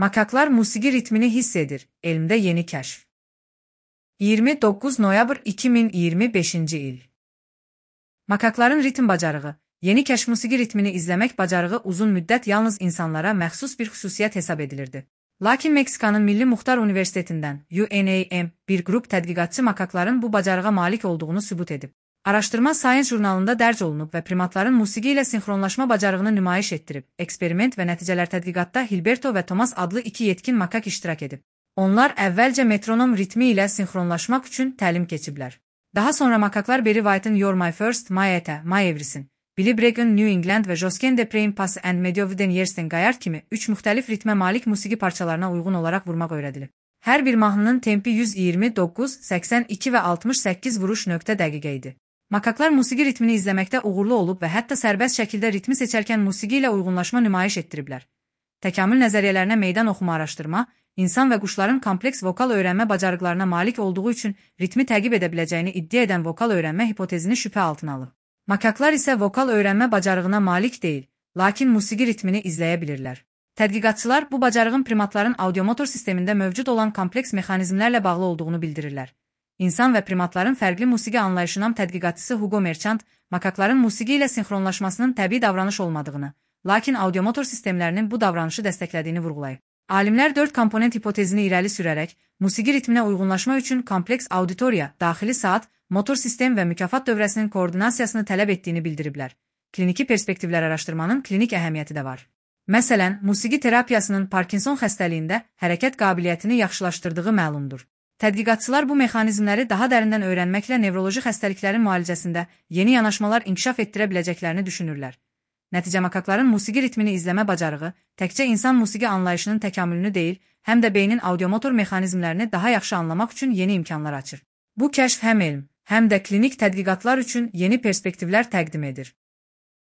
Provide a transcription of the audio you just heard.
Makaklar musiqi ritmini hiss edir. Elmdə yeni kəşf. 29 noyabr 2025-ci il. Makakların ritm bacarığı. Yeni kəşf musiqi ritmini izləmək bacarığı uzun müddət yalnız insanlara məxsus bir xüsusiyyət hesab edilirdi. Lakin Meksikanın Milli Muxtar Universitetindən UNAM bir qrup tədqiqatçı makakların bu bacarığa malik olduğunu sübut edib. Araşdırma Science jurnalında dərc olunub və primatların musiqi ilə sinxronlaşma bacarığını nümayiş etdirib. Eksperiment və nəticələr tədqiqatda Hilberto və Thomas adlı iki yetkin makak iştirak edib. Onlar əvvəlcə metronom ritmi ilə sinxronlaşmaq üçün təlim keçiblər. Daha sonra makaklar Barry White'ın You're My First, My Eta, My Everything, Billy Bregg'in New England və Josquin de Praying Pass and Medovden Yersten Gayard kimi 3 müxtəlif ritmə malik musiqi parçalarına uyğun olaraq vurmaq öyrədilib. Hər bir mahnının tempi 129, 82 və 68 vuruş nöqtə dəqiqə idi. Makaklar musiqi ritmini izləməkdə uğurlu olub və hətta sərbəst şəkildə ritmi seçərkən musiqi ilə uyğunlaşma nümayiş etdiriblər. Təkamül nəzəriyyələrinə meydan oxuma araşdırma, insan və quşların kompleks vokal öyrənmə bacarıqlarına malik olduğu üçün ritmi təqib edə biləcəyini iddia edən vokal öyrənmə hipotezini şübhə altına alıb. Makaklar isə vokal öyrənmə bacarığına malik deyil, lakin musiqi ritmini izləyə bilirlər. Tədqiqatçılar bu bacarığın primatların audiomotor sistemində mövcud olan kompleks mexanizmlərlə bağlı olduğunu bildirirlər. İnsan və primatların fərqli musiqi anlayışının tədqiqatçısı Hugo Merchant, makakların musiqi ilə sinxronlaşmasının təbii davranış olmadığını, lakin audiomotor sistemlərinin bu davranışı dəstəklədiyini vurğulayıb. Alimlər 4 komponent hipotezini irəli sürərək, musiqi ritminə uyğunlaşma üçün kompleks auditoriya, daxili saat, motor sistem və mükafat dövrəsinin koordinasiyasını tələb etdiyini bildiriblər. Kliniki perspektivlər araşdırmanın klinik əhəmiyyəti də var. Məsələn, musiqi terapiyasının Parkinson xəstəliyində hərəkət qabiliyyətini yaxşılaşdırdığı məlumdur. Tədqiqatçılar bu mexanizmləri daha dərindən öyrənməklə nevroloji xəstəliklərin müalicəsində yeni yanaşmalar inkişaf etdirə biləcəklərini düşünürlər. Nəticə makakların musiqi ritmini izləmə bacarığı təkcə insan musiqi anlayışının təkamülünü deyil, həm də beynin audiomotor mexanizmlərini daha yaxşı anlamaq üçün yeni imkanlar açır. Bu kəşf həm elm, həm də klinik tədqiqatlar üçün yeni perspektivlər təqdim edir.